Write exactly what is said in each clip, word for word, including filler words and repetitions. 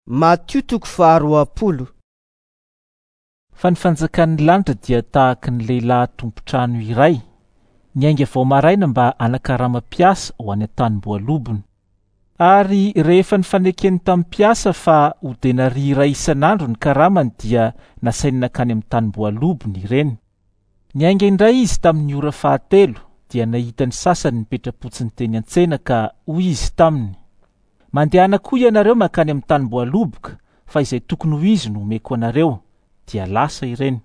Matio toko faharoapolo. Fa ny fanjakan'ny lanitra dia tahaka ny lehilahy tompon-trano iray niainga vao maraina mba hanakarama mpiasa ho any an-tanim-boalobony. Ary rehefa nifanekeny tamin'ny mpiasa fa ho denaria iray isan'andro ny karamany dia nasainy nankany amin'ny tanim-boalobony ireny. Niainga indray izy tamin'ny ora fahatelo dia nahita ny sasany nipetra-potsiny teny an-tsena ka hoy izy taminy: "Mandehana koa ianareo mankany amin'ny tanim-boaloboka fa izay tokony ho izy no omeko anareo." Dia lasa ireny.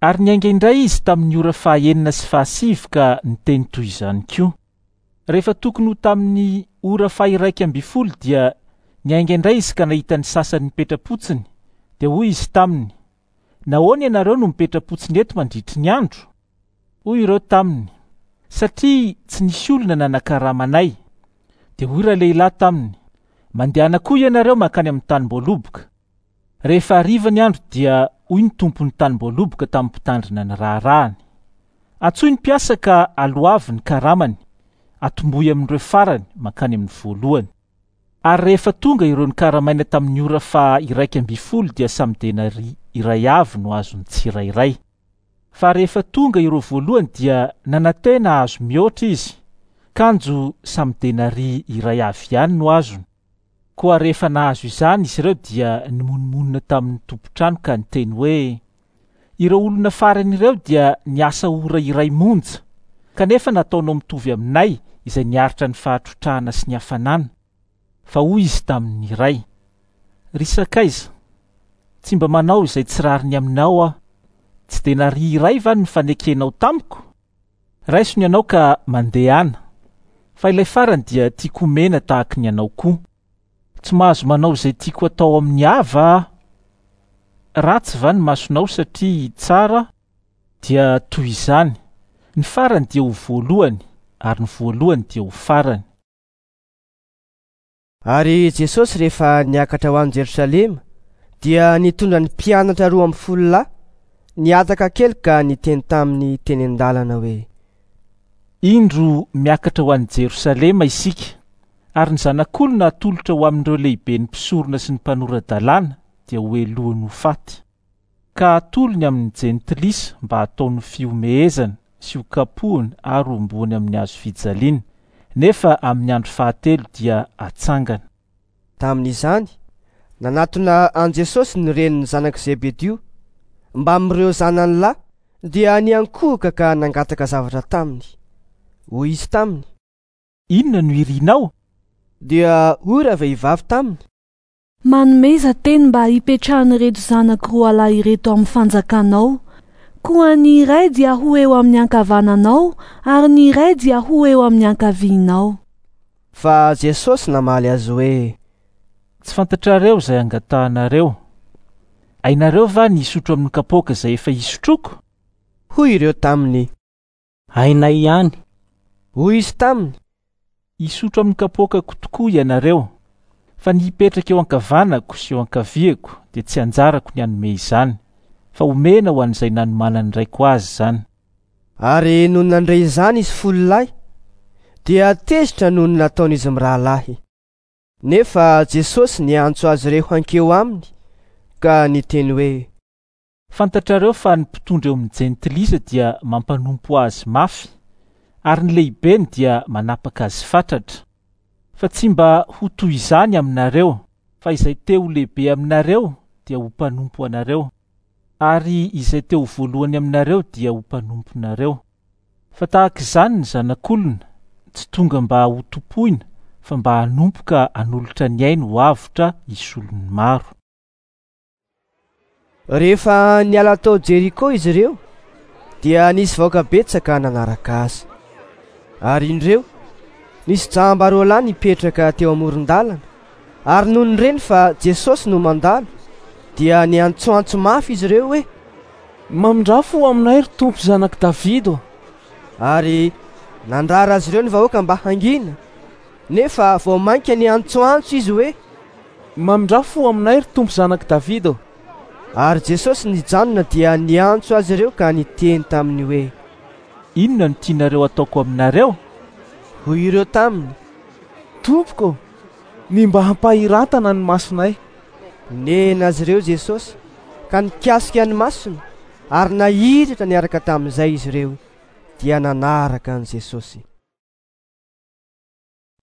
Ary niainga indray izy tamin'ny ora fahaenina sy fahasivy ka niteny toy izany koa. Rehefa tokony ho tamin'ny ora fahiraika ambin'ny folo dia niainga indray izy ka nahita ny sasany nipetra-potsiny. Dia hoy izy taminy: "Nahoana ianareo no mipetra-potsiny eto mandritry ny andro?" Hoy ireo taminy: "Satria tsy nisy olona nanakarama anay." Dia hoy ralehilahy taminy: "Mandehana koa ianareo mankany amin'ny tanim-boaloboka." Rehefa hariva ny andro dia hoy ny tompon'ny tanim-boaloboka tamin'ny mpitandrina ny raharahany: "Antsoy ny mpiasa ka aloavy ny karamany, atombohy amin'ireo farany mankany amin'ny voalohany." Ary rehefa tonga ireo nikaramaina tamin'ny ora faha-iraika ambin'ny folo dia samy denaria iray avy no azon'ny tsirairay. Fa rehefa tonga ireo voalohany dia nanantena hahazo mihoatra izy, kanjo samy denaria iray avy ihany no azony. Koa rehefa nahazo izany izy ireo dia nimonomonona tamin'ny tompon-trano ka niteny hoe: "Ireo olona farany ireo dia niasa ora iray monja, kanefa nataonao mitovy aminay izay niaritra ny fahatrotrahana sy ny hafanana." Fa hoy izy tamin'ny iray: "Ry sakaiza, tsy mba manao izay tsy rariny aminao aho. Tsy denaria iray va no nifanekenao tamiko? Raiso ny anao ka mandehana, fa ilay farany dia tiako homena tahaka ny anao koa. Tsy mahazo manao izay tiako atao amin'ny hava aho. Ratsy va ny masonao satria tsara? Dia toy izany, ny farany dia ho voalohany, ary ny voalohany dia ho farany." Ary Jesosy rehefa niakatra ho any Jerosalema dia nitondra ny mpianatra roa ambin'ny folo lahy nihataka kely ka niteny taminy teny an-dalana hoe: "Indro miakatra ho any Jerosalema isika, ary ny zanak'olona atolotra ho amin'ireo lehiben'ny mpisorona sy ny mpanora-dalàna dia ho helohiny ho faty, ka atolony amin'ny jentilisa mba hataony fihomehezana sy ho kapohiny ary homboany amin'ny hazo fijaliana, nefa amin'ny andro fahatelo dia atsangana." Tamin'izany, nanatona an'i Jesosy ny renin'ny zanak'i Zebedio mbamin'ireo zanany lahy dia niankohoka ka nangataka zavatra taminy. Hoy izy taminy: "Inona no irinao?" Dia hoy ravehivavy taminy: "Manomeza teny mba hipetrahan'ireto zanako roa lahy ireto amin'ny fanjakanao. Koa ny iray dia ho eo amin'ny ankavananao ary ny iray dia ho eo amin'ny ankavianao." Fa Jesosy namaly azy hoe: "Tsy fantatrareo izay angatahanareo. Hainareo va ny hisotro amin'ny kapoaka izay efa hisotroko?" Hoy ireo taminy: "Hainay ihany." Hoy izy taminy: "Hisotro amin'ny kapoakako tokoa ianareo, fa ny hipetraka eo ankavanako sy eo ankaviako dia tsy anjarako ny hanome izany, fa homena ho an'izay nanomanan'ny raiko azy izany." Ary nony nandre izany izy folo lahy dia tezitra noho ny nataon'izy mirahalahy. Nefa Jesosy niantso azy ireo hankeo aminy ka niteny hoe: "Fantatrareo fa ny mpitondra eo amin'ny jentilisa dia mampanompo azy mafy, ary ny lehibeny dia manapaka azy fatratra. Fa tsy mba ho toy izany aminareo, fa izay te ho lehibe aminareo dia ho mpanompo anareo, ary izay te ho voalohany aminareo dia ho mpanomponareo. Fa tahaka izany ny zanak'olona, tsy tonga mba ho tompoina, fa mba hanompo ka hanolotra ny ainy ho avotra hisolon'ny maro." Rehefa niala tao Jeriko izy ireo dia nisy vahoaka betsaka nanaraka azy. Ary indreo nisy jamba roa lahy nipetraka teo amoron-dalana, ary nony reny fa Jesosy no mandalo dia niantsoantso mafy izy ireo hoe: "Mamindrafo aminay ry Tompo zanak'i Davido." Ary nandrara azy ireo ny vahoaka mba hangina, nefa vao mainka niantsoantso izy hoe: "Mamindrafo aminay ry Tompo zanak'i Davido." Ary Jesosy nijanona dia niantso azy ireo ka niteny taminy hoe: "Inona no tianareo ataoko aminareo?" Hoy ireo taminy: "Tompoko, ny mba hampahiratana ny masonay." Nena azy ireo Jesosy ka nikasika ny masony ary nahiratra niaraka tamin'izay izy ireo dia nanaraka an'i Jesosy.